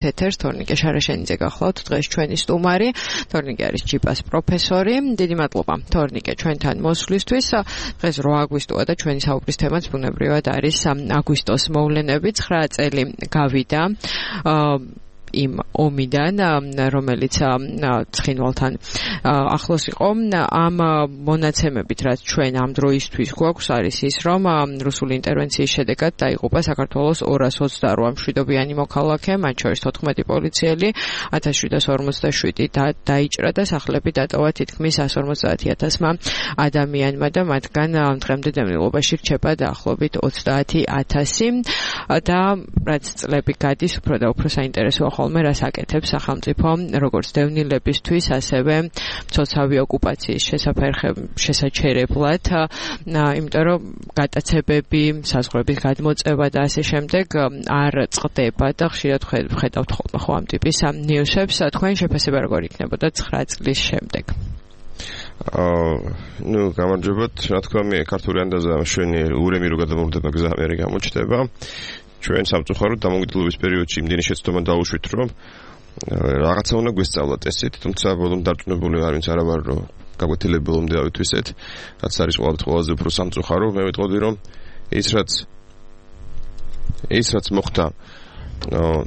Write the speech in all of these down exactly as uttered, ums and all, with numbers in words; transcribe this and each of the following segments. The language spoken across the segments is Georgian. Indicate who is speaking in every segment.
Speaker 1: ეთერს თორნიკე შარაშენიძე გახლავთ დღეს ჩვენი სტუმარი. თორნიკე არის ჯიპას პროფესორი. დიდი მადლობა თორნიკე ჩვენთან მოსვლისთვის. დღეს რვა აგვისტოა და ჩვენი საუბრის თემაც ბუნებრივად არის აგვისტოს მოვლენები. ცხრა წელი გავიდა იმ ომიდან, რომელიც ცხინვალთან ახლოს იყო. ამ მონაცემებით, რაც ჩვენ ამ დროისთვის გვაქვს, არის ის, რომ რუსული ინტერვენციის შედეგად დაიღუპა საქართველოს ორას ოცდარვა მშვიდობიანი მოქალაქე, მათ შორის თოთხმეტი პოლიციელი, ათას შვიდას ორმოცდაშვიდი დაიჭრა და სახლები დატოვა თითქმის εκατს ორმოცდაათი ათასმა ადამიანმა და მათგან დღემდე დევნილობაში რჩება დაახლოებით ოცდაათი ათასი და რაც წლები გადის, უფრო და უფრო საინტერესოა ხოლმე რას აკეთებს სახელმწიფო როგორც დევნილებისთვის, ასევე მცოცავი ოკუპაციის შესაჩერებლად, იმიტომ რომ გატაცებები, საზღვრების გადმოწევა და ასე შემდეგ არ წყდება და ხშირად ვხედავთ ხოლმე ხო ამ ტიპის ნიუსებს. თქვენი შეფასება როგორ იქნებოდა ცხრა წლის შემდეგ?
Speaker 2: აა, ნუ გამარჯობათ, რა თქმა უნდა, ქართული ანდაზა მშვენიერი ურემი რო გადამოვდება გზა ამერი გამოჩნდება. ჩვენ სამწუხაროდ დამოუკიდებლობის პერიოდში იმდენი შეცდომა დაუშვით, რომ რაღაცა უნდა გვესწავლათ ესეთ, თუმცა ბოლომდე დარწმუნებული არ ვინც არა ვარ, რომ გაგვეთილები ბოლომდე ავითვისეთ, რაც არის ყველაზე უფრო სამწუხარო. მე ვიტყოდი, რომ ის რაც ის რაც მოხდა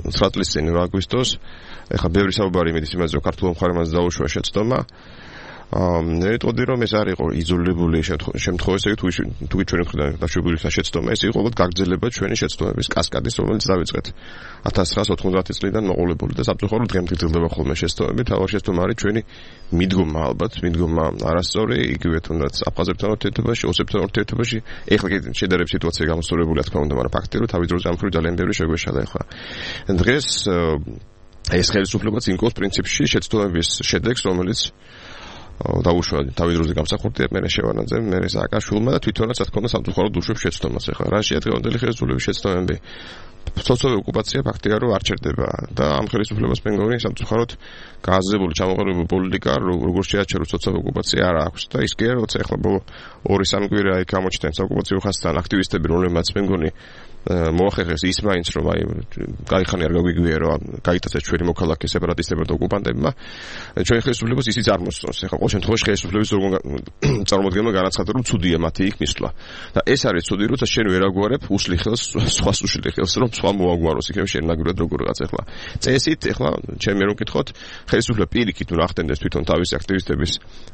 Speaker 2: ცხრა წლის წინ აგვისტოს, ეხლა ბევრი საუბარი იმედის იმაზე, რომ ქართულ მხარემაც დაუშვა შეცდომა. მე ვიტყოდი, რომ ეს არ იყო იზოლირებული შემთხვევა, ესე იგი თუ ჩვენი მხრიდან დაშვებული შეცდომა, ეს იყო უბრალოდ გაგრძელება ჩვენი შეცდომების კასკადის, რომელიც დავიწყეთ ათას ცხრაას ოთხმოცდაათი წლიდან მოყოლებული და სამწუხაროდ დღემდე გრძელდება ხოლმე შეცდომები. თავი შეცდომა არის ჩვენი მიდგომა, ალბათ მიდგომა არასწორი, იგივე თუნდაც აფხაზებთან ურთიერთობაში, ოსებთან ურთიერთობაში. ეხლა კი შედარებით სიტუაცია გამოსწორებულია, თქმა უნდა, მაგრამ ფაქტია, რომ თავის დროზე ამ მხრივ ძალიან ბევრი შეგვეშალა ეხლა. დღეს ეს ხელისუფლებაც იმკოს პრინციპში შეცდომების შედეგს, რომელიც დაუშვა თავის დროზე გამსახურდია მე შევანაძე, მე სააკაშვილმა და თვითონაც რა თქმა უნდა სამწუხაროდ უშვებს შეცდომას. ეხლა რა შეადგენელი ხელისუფლების შეცდომები? სოციალური ოკუპაცია ფაქტია რომ არ ჩერდება და ამ ხელისუფლებას მე მგონი სამწუხაროდ გააზრებული ჩამოყალიბებული პოლიტიკა როგორ შეაჩეროს სოციალური ოკუპაცია არ აქვს და ის კი არა როცა ეხლა ბოლო ორი სამი კვირა აი გამოჩნდნენ ოკუპაციო ხაზთან აქტივისტები, რომლებმაც მე მგონი მოახერხეს ის მაინც რომ აი გაიხანი არ გაგვიგვია რომ გაიტაცეს ჩვენი მოქალაქე სეპარატისტებმა და ოკუპანტებმა ჩვენი ხელისუფლებას ისიც არ მოსწონს. ეხლა ყოველ შემთხვევაში ხელისუფლების წარმოადგენლმა განაცხადა რომ ცუდია მათი იქ მისვლა და ეს არის ცუდი, როცა შენ ვერ აგვარებ უსლი ხელს სხვას უშლი ხელს რომ სხვა მოაგვაროს იქნებ შენ ნაგურად როგორღაც. ეხლა წესით ეხლა ჩემ მე რომ ვკითხოთ ხელისუფლება პირიქით უნდა ახდენდეს თვითონ თავის აქტივისტების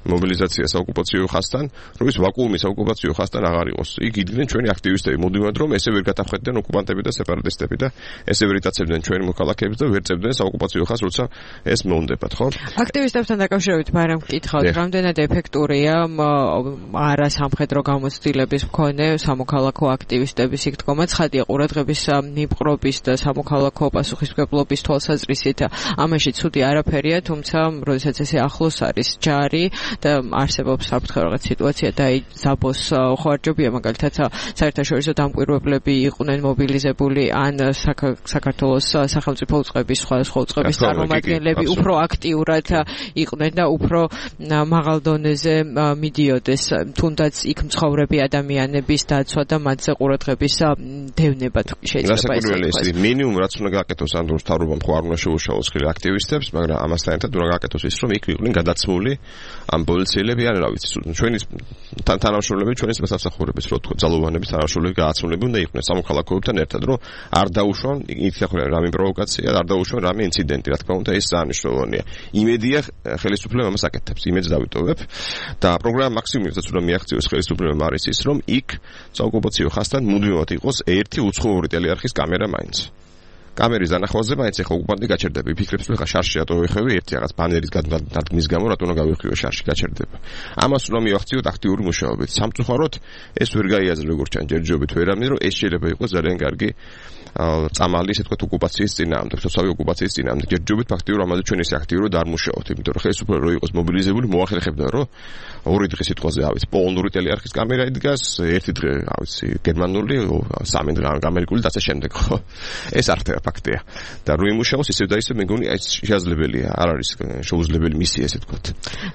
Speaker 2: მობილიზაციას ოკუპაციო ხაზთან, რომ ის ვაკუუმი ოკუპაციო ხაზთან აღარ იყოს. იქ იდგნენ ჩვენი აქტივისტები მოდივად რომ ესე ვერ გადახდენ ოკუპანტები და სეპარატისტები და ესე ვერ იტაცებდნენ ჩვენი მოქალაქეებს და ვერ წერდნენ საოკუპაციო ხაზს, როცა ეს მოუნდებათ, ხო?
Speaker 1: აქტივისტებთან დაკავშირებით მაგრამ ვკითხავთ, რამდენად ეფექტურია არა სამხედრო გამოცდილების მქონე სამოქალაქო აქტივისტების იქ დგომა, ცხადია ყურადღების მიპყრობის და სამოქალაქო პასუხისმგებლობის თვალსაზრისით ამაში ცუდი არაფერია, თუმცა როდესაც ესე ახლოს არის ჯარი და არსებობს საფრთხე რაღაც სიტუაცია და ზაბოს ხوارჯობია, მაგალითად საერთაშორისო დამკვირვებლები იყვნენ მობილიზებული ან საქართველოს სახელმწიფო უწყების სხვადასხვა უწყების წარმომადგენლები უფრო აქტიურად იყვნენ და უფრო მაღალ დონეზე მიდიოდეს თუნდაც იქ მცხოვრები ადამიანების დაცვა და მათზე ყურადღების დევნება შეიძლება
Speaker 2: ეს მინიმუმ რაც უნდა გააკეთოს ამ დროს თავრობამ ხო არ უნდა შეუშალოს ხელი აქტივისტებს, მაგრამ ამასთან ერთად უნდა გააკეთოს ის რომ იქ იყვნენ გადაცმული ამ პოლიციელები ან რა ვიცი ჩვენი თანამშრომლები ჩვენი სამსახურების რო თქო ძალოვანების თანამშრომლები გააცმულები უნდა იყვნენ სამოქალაქოებთან ერთად, რომ არ დაუშვან იქნახონ რამე პროვოკაცია, არ დაუშვან რამე ინციდენტი, რა თქმა უნდა ეს ძალიან მნიშვნელოვანია. იმედია ხელისუფლება ამას აკეთებს, იმედს დავიტოვებ და პროგრამა მაქსიმუმსაც უნდა მიაღწიოს ხელისუფლებამ არის ის, რომ იქ საოკუპაციო ხაზთან მუდმივად იყოს ერთი უცხოური ტელეარხის კამერა მაინც. კამერის დანახვაზე მაინც ეხა ოკუპანტი გაჩერდება, ფიქრებს რომ ეხა შარში რატო ვიხევი ერთი რაღაც ბანერის დადგმის გამო რატო უნდა გავიხიო შარში გაჩერდება. ამას უნდა მივახციოთ აქტიური მუშაობით. სამწუხაროდ ეს ვერ გაიაზრე როგორც ჩან ჯერჯერობით ვერამე, რომ ეს შეიძლება იყოს ძალიან კარგი წამალი, ესე ვთქვათ, ოკუპაციის წინააღმდეგ, სოციალური ოკუპაციის წინააღმდეგ. ჯერჯერობით ფაქტიურად ამაზე ჩვენ ეს აქტიურად არ მუშაობთ, იმიტომ რომ ხელისუფლება რო იყოს მობილიზებული, მოახერხებდა რომ ორი დღის სიტყვაზე ავიც პოლონური ტელეარხის კამერა იდგას, ერთი დღე ავიც გერმანული, სამი დღე ამერიკული და ასე შემდეგ, ხო? ეს არ ხდება ფაქტია. და რო იმუშაოს ისევ და ისევ მე მგონი ეს შესაძლებელია, არ არის შეუძლებელი მისია, ესე ვთქვათ.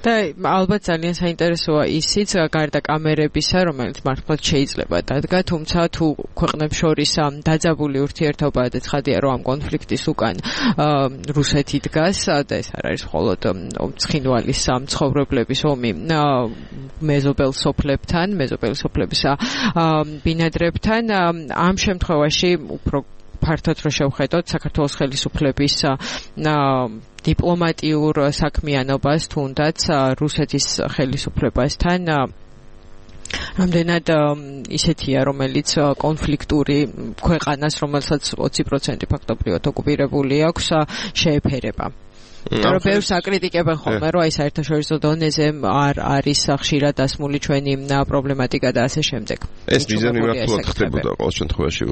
Speaker 1: და ალბათ ძალიან საინტერესოა ისიც, გარდა კამერებისა, რომელიც მართლაც შეიძლება დადგა, თუმცა თუ ქვეყნებს შორის დაძაბული ურთიერთობა და ცხადია რომ ამ კონფლიქტის უკან რუსეთი დგას და ეს არ არის მხოლოდ ცხინვალის მცხოვრებლების ომი მეზობელ სოფლებთან, მეზობელი სოფლების ბინადრებთან. ამ შემთხვევაში უფრო ფართოდ რო შევხედოთ საქართველოს ხელისუფლების დიპლომატიურ საქმიანობას თუნდაც რუსეთის ხელისუფლებასთან რამდენად ისეთია, რომელიც კონფლიქტური ქვეყანას, რომელსაც ოცი პროცენტი ფაქტობრივად ოკუპირებული აქვს, შეეფერება. რომ ბევრს აკრიტიკებენ ხოლმე, რომ აი საერთაშორისო დონეზე არ არის ხშირად დასმული ჩვენი პრობლემატიკა და ასე შემდეგ.
Speaker 2: ეს მიზანმიმართულად ხდებოდა ყოველ შემთხვევაში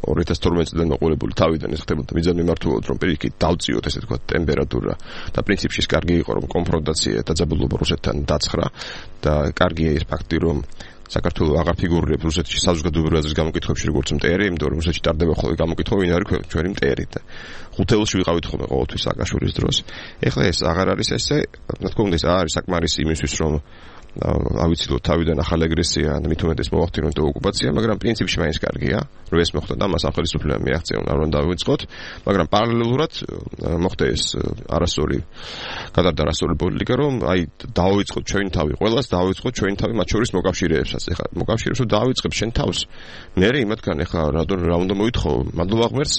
Speaker 2: ორი ათას თორმეტი წლიდან მოყოლებული თავიდან ეს ხდებოდა მიზანმიმართულად, რომ პირიქით დავწიოთ ესე თქვა ტემპერატურა და პრინციპში კარგი იყო რომ კონფრონტაცია დაძაბულობა რუსეთთან დაცხრა და კარგია ეს ფაქტი რომ საქართველოს აღარ ფიგურირებს რუსეთში საზოგადოებრივი აზრის გამოკითხვებში როგორც მტერი, იმიტომ რომ რუსეთში ტარდება ხოლმე გამოკითხვა ვინ არის ჩვენი მტერი და ხუთეულში ვიყავით ხოლმე ყოველთვის სააკაშვილის დროს. ეხლა ეს აღარ არის ესე, რა თქმა უნდა ეს არის საკმარისი იმისთვის რომ ავიცილოთ თავიდან ახალი აგრესია და მით უმეტეს მოახდინოთ ოკუპაცია, მაგრამ პრინციპში მაინც კარგია, რომ ეს მოხდა და მას ახალისუფლებამ მიაღწია, არ უნდა დავიწყოთ, მაგრამ პარალელურად მოხდა ეს არასწორი გადარდა არასწორი პოლიტიკა, რომ აი დავიწყოთ ჩვენი თავი, ყველას დავიწყოთ ჩვენი თავი, მათ შორის მოკავშირეებსაც. ეხლა მოკავშირეებს რომ დავიწყებ შენ თავს, მე იმათგან ეხლა რადონ რა უნდა მოითხოვო, მადლობა ღმერთს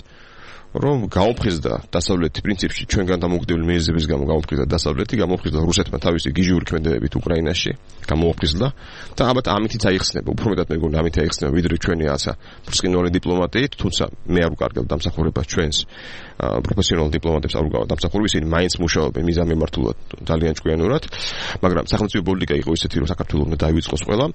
Speaker 2: რომ გაუფხიზდა დასავლეთი პრინციპში ჩვენგან დამოუკიდებელი მიზეზების გამო გაუფხიზდა დასავლეთი, გამოუფხიზდა რუსეთმა თავისი გიჟური ქმედებებით უკრაინაში, გამოუფხიზდა და ალბათ ამითიც აიხსნება, უფრო მეტად მეგონი ამით აიხსნება ვიდრე ჩვენი რაცა ბრწყინვალე დიპლომატიით, თუმცა მე არ ვკარგებ დამსახურებას ჩვენს პროფესიონალ დიპლომატებს არ ვგავ დამსახურებას, ისინი მაინც მუშაობენ მიზანმიმართულად ძალიან ჭკვიანურად, მაგრამ სახელმწიფო პოლიტიკა იყო ისეთი, რომ საქართველოს უნდა დაივიწყოს ყველა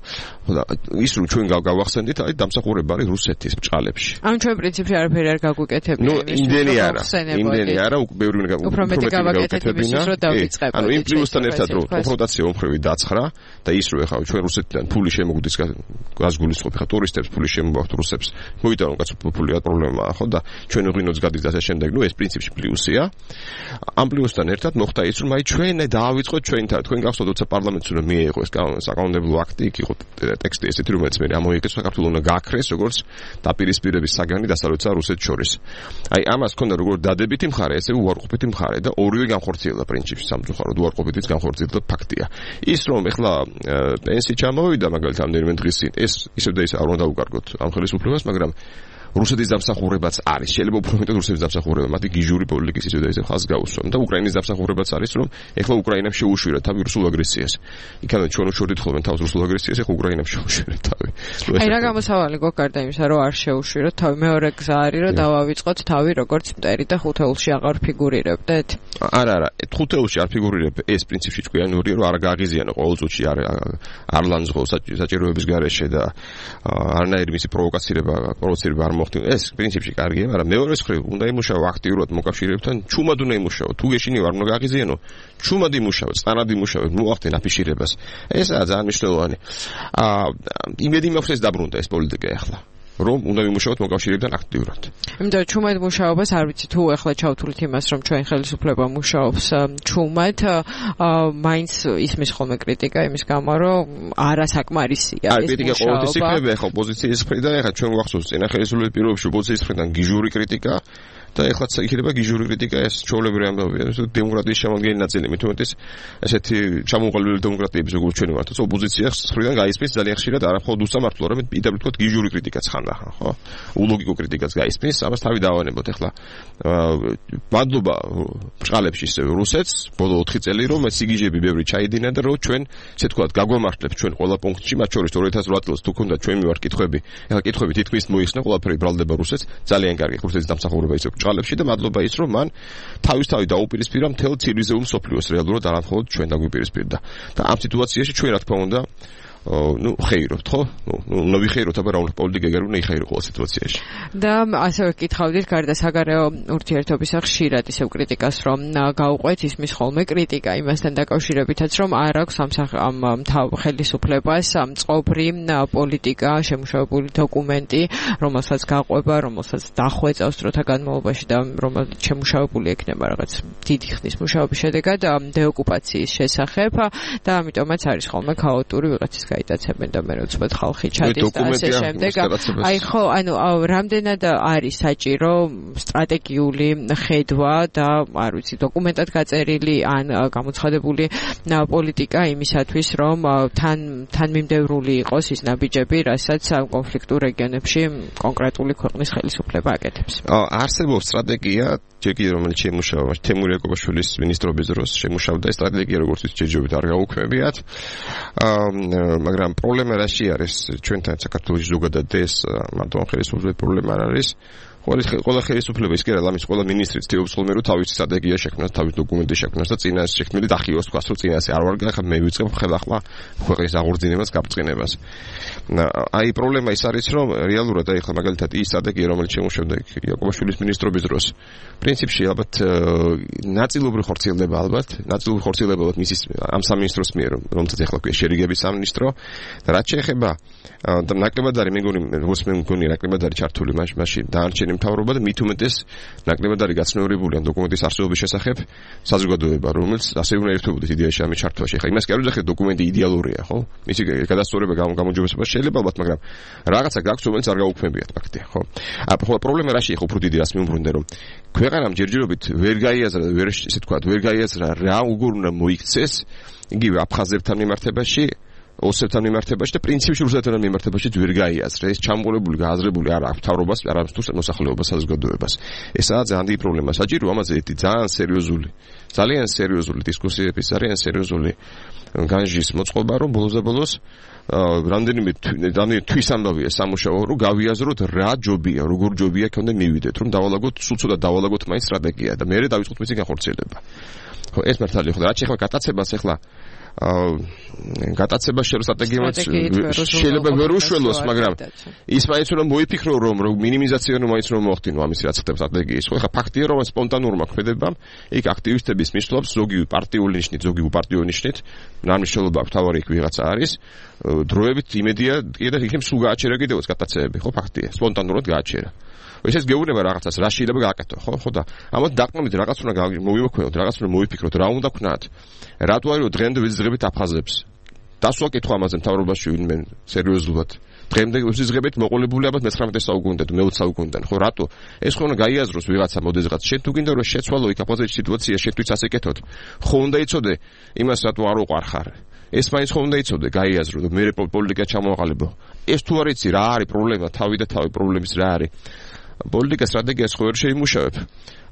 Speaker 2: და ის რომ ჩვენ გავახსენდით, აი დამსახურება არის რუსეთის ბჭყალებში.
Speaker 1: ამ ჩვენ პრინციპში არაფერი არ გაგვიკეთებია.
Speaker 2: იმდენი არა, იმდენი არა, ბევრი
Speaker 1: უფრო მეტი გავაკეთებინა, რომ დავიწყებოდეთ.
Speaker 2: ანუ იმ პლუსთან ერთად რომ კონფრონტაცია უმხრივი დაცხრა და ის რომ ეხლა ჩვენ რუსეთიდან ფული შემოგვდის გასგულისხმობ, ეხლა ტურისტებს ფული შემოგვაქვთ რუსებს. მოიტანო კაცო ფული არ პრობლემაა, ხო და ჩვენ ღვინოც გადის და ასე შემდეგ, ნუ ეს პრინციპში პლუსია. ამ პლუსთან ერთად მოხდა ის რომ აი ჩვენ დავიწყოთ ჩვენ თავი, თქვენ გახსოვთ როცა პარლამენტს უნდა მიეღო ეს საკანონმდებლო აქტი, იქ იყო ტექსტი ესეთი რომელიც მე ამოიგეს საქართველოს უნდა გააქრეს როგორც დაპირისპირების საგანი დასავლეთსა და რუსეთს შორის. აი ამას ქონდა როგორც დადებითი მხარე, ესე უარყოფითი მხარე და ორივე განხორციელდა პრინციპში სამწუხაროდ უარყოფითიც განხორციელდა ფაქტია. ის რომ ეხლა პენსი ჩამოვიდა მაგალითად ამდენიმე დღის წინ, ეს ისევ და ისე არ უნდა დავუკარგოთ ამ ხელისუფლებას, მაგრამ რუსეთის დამსახურებაც არის. შეიძლება უფრო მეტად რუსეთის დამსახურება, მათი გიჟური პოლიტიკის ისე და ისე ხალხს გაუსვამ და უკრაინის დამსახურებაც არის, რომ ეხლა უკრაინამ შეუშვირა თავი რუსულ აგრესიას. იქამდე ჩვენ უშორდით ხოლმე თავს რუსულ აგრესიას, ეხლა უკრაინამ შეუშვირა თავი.
Speaker 1: აი რა გამოსავალი გვაქვს გარდა იმისა, რომ არ შეუშვიროთ თავი, მეორე გზა არის, რომ დავავიწყოთ თავი როგორც მტერი და ხუთეულში აღარ ფიგურირებდეთ.
Speaker 2: არა, არა, ხუთეულში არ ფიგურირებ, ეს პრინციპში ჭკვიანურია, რომ არ გააღიზიანო ყოველ წუთში არ არ ლანძღო საჭიროების გარეშე და არანაირი მისი პროვოკაცირება, პროვოცირება არ ეს პრინციპში კარგია, მაგრამ მეორე მხრივ უნდა იმუშაო აქტიურად მოკავშირეებთან, ჩუმად უნდა იმუშაო. თუ გეშინიო არ უნდა გააღიზიანო, ჩუმად იმუშაო, წყნარად იმუშაო, მოახდენ აფიშირებას. ესაა ძალიან მნიშვნელოვანი. აა იმედი მაქვს ეს დაბრუნდა ეს პოლიტიკა ახლა. რომ უნდა ვიმუშაოთ მოკავშირეებთან აქტიურად.
Speaker 1: იმიტომ ჩუმად მუშაობას არ ვიცი თუ ახლა ჩავთვლით იმას რომ ჩვენ ხელისუფლება მუშაობს ჩუმად, მაინც ისმის ხოლმე კრიტიკა იმის გამო რომ არასაკმარისია
Speaker 2: ეს კრიტიკა ყოველთვის იქნება ახლა ოპოზიციის მხრიდან, ახლა ჩვენ გვახსოვს წინა ხელისუფლების პირობებში ოპოზიციის მხრიდან გიჟური კრიტიკა და ეხლაც იქნება გიჟური კრიტიკა ეს ჩვეულებრივი ამბავია, დემოკრატიის შემადგენელი ნაწილი, მით უმეტეს ესეთი ჩამოყალიბებული დემოკრატიების როგორც ჩვენი ვართ, ოპოზიციას მხრიდან გაისმის ძალიან ხშირად არამხოლოდ უსამართლო, არამედ პირდაპირ თქვა გიჟური კრიტიკაც ხანდა, ხო? ულოგიკო კრიტიკაც გაისმის, ამას თავი დავანებოთ ეხლა. მადლობა ბჭყალებში რუსეთს, ბოლო ოთხი წელი რომ სიგიჟები ბევრი ჩაიდინა და რომ ჩვენ ესე თქვა გაგვამართლებს ჩვენ ყველა პუნქტში, მათ შორის ორი ათას ოთხ წელს თუ ქონდა ჩვენ მივარ კითხვები, ეხლა კითხვები თითქმის მოიხსნა, ყველაფერი ბრალდება რუსეთს, ძალიან კარგი რუსეთის დამსახურება ისე ბჭყალებში და მადლობა ის რომ მან თავისთავად დაუპირისპირა მთელ ცივილიზებულ მსოფლიოს რეალურად არ მხოლოდ ჩვენ დაგვიპირისპირდა. და ამ სიტუაციაში ჩვენ რა თქმა უნდა ну ხეირობთ ხო? ну უნდა ვიხეიროთ, აბა რა უნდა პოლიტიკა ეგარ უნდა იხეირო ყოველ სიტუაციაში.
Speaker 1: და ასევე გითხავდით გარდა საგარეო ურთიერთობისა ხშირად ისევ კრიტიკას რომ გაუყვეთ ისმის ხოლმე კრიტიკა იმასთან დაკავშირებითაც რომ არ აქვს ამ ხელისუფლებას მწყობრი პოლიტიკა, შემუშავებული დოკუმენტი, რომელსაც გაყვება, რომელსაც დახვეწავს დროთა განმავლობაში და რომელიც შემუშავებული ექნება რაღაც დიდი ხნის მუშაობის შედეგად დეოკუპაციის შესახებ და ამიტომაც არის ხოლმე ქაოტური ვიღაცის გაიტაცებენ და მე უცბად ხალხი ჩადის და ასე შემდეგ. აი ხო, ანუ რამდენად არის საჭირო სტრატეგიული ხედვა და არ ვიცი დოკუმენტად გაწერილი ან გამოცხადებული პოლიტიკა იმისათვის რომ თან თანმიმდევრული იყოს ის ნაბიჯები, რასაც კონფლიქტურ რეგიონებში კონკრეტული ქვეყნის ხელისუფლება აკეთებს.
Speaker 2: არსებობს სტრატეგია, ჯეკი რომელიც შემუშავა თემურ ეკობაშვილის მინისტრობის დროს შემუშავდა ეს სტრატეგია როგორც ის ჯერჯერობით არ გაუქმებიათ. მაგრამ პრობლემა რაში არის ჩვენთან საქართველოს ზოგადად ეს მარტო ხელისუფლების პრობლემა არ არის. ყველა ხელისუფლება ის კი არა, ამის ყველა მინისტრიც თეობს ხოლმე რომ თავისი სტრატეგია შექმნას, თავისი დოკუმენტი შექმნას და წინასე შექმნილი დახიოს თქვას რომ წინასე არ ვარ გახა მე ვიწყებ ხელახლა ქვეყნის აღორძინებას, გაბწყინებას. აი პრობლემა ის არის რომ რეალურად აი ხა მაგალითად ის სტრატეგია რომელიც შემუშავდა იაკობაშვილის მინისტრობის დროს პრინციპში ალბათ ნაწილობრივ ხორციელდება ალბათ, ნაწილობრივ ხორციელდება ალბათ მისის ამ სამინისტროს მიერ რომელსაც ახლა ქვია შერიგების სამინისტრო და რაც შეეხება და ნაკლებად არის მეგონი როგორც მე მგონი ნაკლებად არის ჩართული მაშინ დაარჩენი მთავრობა და მით უმეტეს ნაკლებად არის გაცნევრებული ამ დოკუმენტის არსებობის შესახებ საზოგადოება, რომელიც ასე უნდა ერთობოდეს იდეაში ამის ჩართვაში. ხა იმას კი არ ვიძახეთ დოკუმენტი იდეალურია, ხო? მისი გადასწორება გამოჯობესება შეიძლება, ალბათ, მაგრამ რაღაცა გაქვს, რომელიც არ გაუქმებიათ ფაქტია, ხო? ახლა პრობლემა რაშია, ხო, უფრო დიდი რას მიუბრუნდე, რომ ქვეყანამ ჯერჯერობით ვერ გაიაზრა, ვერ ისე თქვა, ვერ გაიაზრა რა უგურ უნდა მოიქცეს, იგივე აფხაზებთან მიმართებაში ოსებთან მიმართებაში და პრინციპში რუსეთთან მიმართებაში ვერ გაიაზრა. ეს ჩამოყოლებული, გააზრებული არ აქვს მთავრობას, არ აქვს თუ მოსახლეობას, საზოგადოებას. ესაა ძალიან დიდი პრობლემა. საჭირო ამაზე ძალიან სერიოზული, ძალიან სერიოზული დისკუსიების, ძალიან სერიოზული განჯის მოწყობა, რომ ბოლოს და ბოლოს რამდენიმე რამდენიმე თვის ამბავია სამუშაო, რომ გავიაზროთ რა ჯობია, როგორ ჯობია ქონდა მივიდეთ, რომ დავალაგოთ, სულ ცოტა დავალაგოთ მაინც სტრატეგია და მერე დავიწყოთ მისი განხორციელება. ხო, ეს მართალია, ხო, რაც ახლა გატაცებას ახლა გატაცება შეიძლება სტრატეგიაც შეიძლება ვერ უშველოს, მაგრამ ის მაინც უნდა მოიფიქრო რომ მინიმიზაცია რომ მაინც რომ მოახდინო ამის რაც ხდება სტრატეგიის. ხო, ხა ფაქტია რომ სპონტანურმა ქმედებამ იქ აქტივისტების მისვლობს ზოგი პარტიული ნიშნით, ზოგი უპარტიო ნიშნით, ნამშრომლობა თავარი იქ ვიღაცა არის, დროებით იმედია კიდე იქ სულ გააჩერა კიდევაც გატაცებები, ხო ფაქტია, სპონტანურად გააჩერა. ესეც გეუბნება რაღაცას, რა შეიძლება გააკეთო, ხო? ხო და ამათ დაყნობით რაღაც უნდა მოვიმოქმედოთ, რაღაც უნდა მოიფიქროთ, რა უნდა ვქნათ. რატო არის რომ დღემდე ვიზღებით აფხაზებს? დასვა კითხვა ამაზე მთავრობაში ვინმე სერიოზულად. დღემდე ვიზღებით მოყოლებული ალბათ მეცხრამეტე საუკუნიდან, მეოცე საუკუნიდან, ხო რატო? ეს ხო უნდა გაიაზროს ვიღაცა მოდეს რაღაც. შენ თუ გინდა რომ შეცვალო იქ აფხაზეთის სიტუაცია, შენ თვითონ ასე კეთოთ. ხო უნდა იცოდე იმას რატო არ უყარხარ. ეს მაინც ხო უნდა იცოდე, გაიაზრო და მე პოლიტიკა ჩამოაყალიბო. ეს თუ არ იცი რა არის პრობლემა, თავი და თავი პრობლემის რა არის? პოლიტიკა სტრატეგიას ხო ვერ შეიმუშავებ.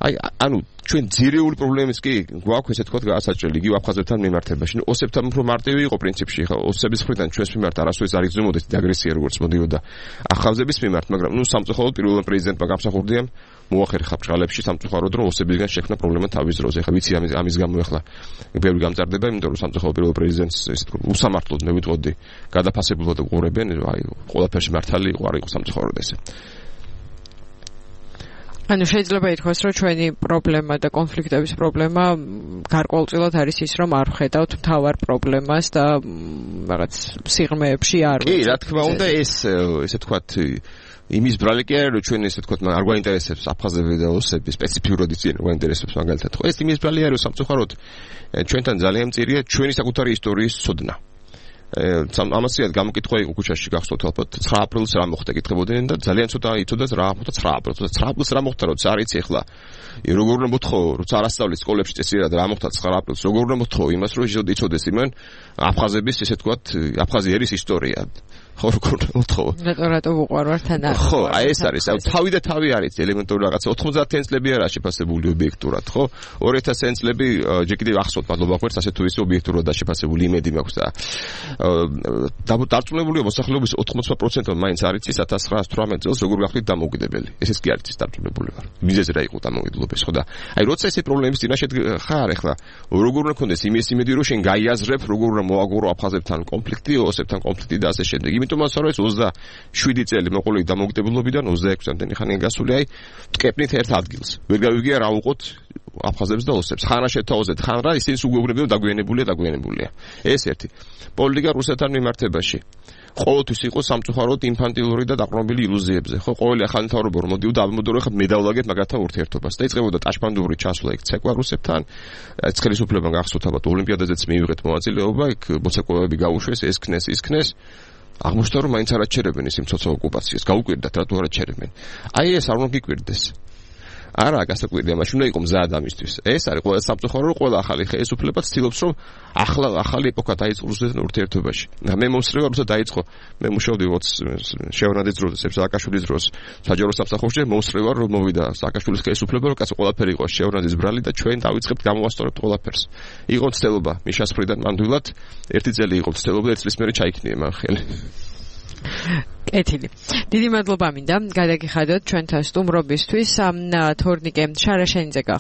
Speaker 2: აი, ანუ ჩვენ ძირეული პრობლემის კი გვაქვს ესე თქვა გაასაჭრელი იგივე აფხაზებთან მიმართებაში. ნუ ოსებთან უფრო მარტივი იყო პრინციპში, ხო, ოსების მხრიდან ჩვენს მიმართ არასოდეს არ იგრძნობოდეს აგრესია როგორც მოდიოდა აფხაზების მიმართ, მაგრამ ნუ სამწუხაროდ პირველ პრეზიდენტმა გამსახურდია მოახერხა ბჭყალებში სამწუხაროდ რომ ოსებისგან შექმნა პრობლემა თავის დროზე. ხა ვიცი ამის ამის გამო ახლა ბევრი გამწარდება, იმიტომ რომ სამწუხაროდ პირველ პრეზიდენტს ეს უსამართლოდ მე ვიტყოდი გადაფასებულად უყურებენ, აი ყველაფერში მართალი იყო, არ იყო სამწუხაროდ ესე.
Speaker 1: ანუ შეიძლება ითქვას, რომ ჩვენი პრობლემა და კონფლიქტების პრობლემა გარკვეულწილად არის ის, რომ არ ვხედავთ მთავარ პრობლემას და რაღაც სიღრმეებში არ
Speaker 2: კი, რა თქმა უნდა, ეს ესე თქვათ იმის ბრალი კი არის, რომ ჩვენ ესე თქვათ არ გვაინტერესებს აფხაზები და ოსები, სპეციფიურად იციან, რომ გვაინტერესებს მაგალითად. ხო, ეს იმის ბრალი არის, რომ სამწუხაროდ ჩვენთან ძალიან მწირია ჩვენი საკუთარი ისტორიის ცოდნა. ამასიად გამოკითხვა იყო ქუჩაში გახსოვთ ალბათ ცხრა აპრილს რა მოხდა კითხებოდნენ და ძალიან ცოტა იცოდათ რა მოხდა ცხრა აპრილს. ცხრა აპრილს რა მოხდა, როცა არ იცი ახლა როგორ უნდა მოთხოვო, როცა არ ასწავლეს სკოლებში წესიერად რა მოხდა ცხრა აპრილს, როგორ უნდა მოთხოვო იმას, რომ იცოდეს იმენ აფხაზების ესე თქვათ აფხაზიერის ისტორია. ხო, როგორ უნდა მოთხოვო?
Speaker 1: რატო რატო უყვარვართ ან არ?
Speaker 2: ხო, აი ეს არის, თავი და თავი არის ელემენტური რაღაცა. ოთხმოცდაათი წლები არა შეფასებული ობიექტურად, ხო? ორი ათასი წლები ჯერ კიდევ ახსოვთ, მადლობა გვერდს ასე თუ ისე ობიექტურად შეფასებული იმედი მაქვს და დარწმუნებულია მოსახლეობის ოთხმოცდა პროცენტი მაინც არ იცის ათას ცხრაასი თვრამეტ წელს როგორ გახდით დამოუკიდებელი. ესეც კი არ იცის დარწმუნებული ვარ. მიზეზი რა იყო დამოუკიდებლობის, ხო და აი როცა ესე პრობლემის წინაშე ხარ ახლა, როგორ უნდა გქონდეს იმის იმედი რომ შენ გაიაზრებ, როგორ უნდა მოაგორო აფხაზებთან კონფლიქტი, ოსებთან კონფლიქტი და ასე შემდეგ. იმიტომაც რომ ეს ოცდაშვიდი წელი მოყოლილი დამოუკიდებლობიდან ოცდაექვსი წამდენი ხანია გასული, აი ტკეპნით ერთ ადგილს. ვერ გავიგია რა უყოთ აფხაზებს და ოსებს. ხან რა შეთავაზეთ, ხან რა ისინი უგეუბნებიან დაგვიანებულია, დაგვიანებულია. ეს ერთი. პოლიტიკა რუსეთთან მიმართებაში. ყოველთვის იყო სამწუხაროდ ინფანტილური და დაყრდნობილი ილუზიებზე. ხო, ყოველი ახალი მთავრობა რომ მოდიოდა, ამბობდა რომ ხა მე დავლაგებ მაგათთან ურთიერთობას და იწყებოდა ტაშპანდური ჩასვლა იქ ცეკვა რუსებთან. ეს ხელისუფლებამ გახსოვთ ალბათ ოლიმპიადაზეც მიიღეთ მონაწილეობა, იქ მოცეკვავები გაუშვეს, ეს ქნეს, ის ქნეს. აღმოჩნდა რომ მაინც არ აჩერებენ ის მცოცავ ოკუპაციას. გაუკვირდათ რატო არ აჩერებენ. აი ეს არ უნდა გიკვირდეს. არა, გასაკვირია, მაშინ უნდა იყო მზად ამისთვის. ეს არის ყველა სამწუხარო, რომ ყველა ახალი ხელისუფლება ცდილობს, რომ ახლა ახალი ეპოქა დაიწყოს რუსეთთან ურთიერთობაში. და მე მომსწრება, როცა დაიწყო, მე მუშაობდი შევნაძის დროს, სააკაშვილის დროს, საჯარო სამსახურში, მომსწრება, რომ მოვიდა სააკაშვილის ხელისუფლება, რომ კაცო ყველაფერი იყო შევნაძის ბრალი და ჩვენ დავიწყებთ გამოვასწორებთ ყველაფერს. იყო ცდელობა მიშას მხრიდან ნამდვილად, ერთი წელი იყო ცდელობა, ერთ წლის მერე ჩაიქნია მან ხელი.
Speaker 1: კეთილი. დიდი მადლობა მინდა გადაგიხადოთ ჩვენთან სტუმრობისთვის. თორნიკე შარაშენიძე გახლავთ.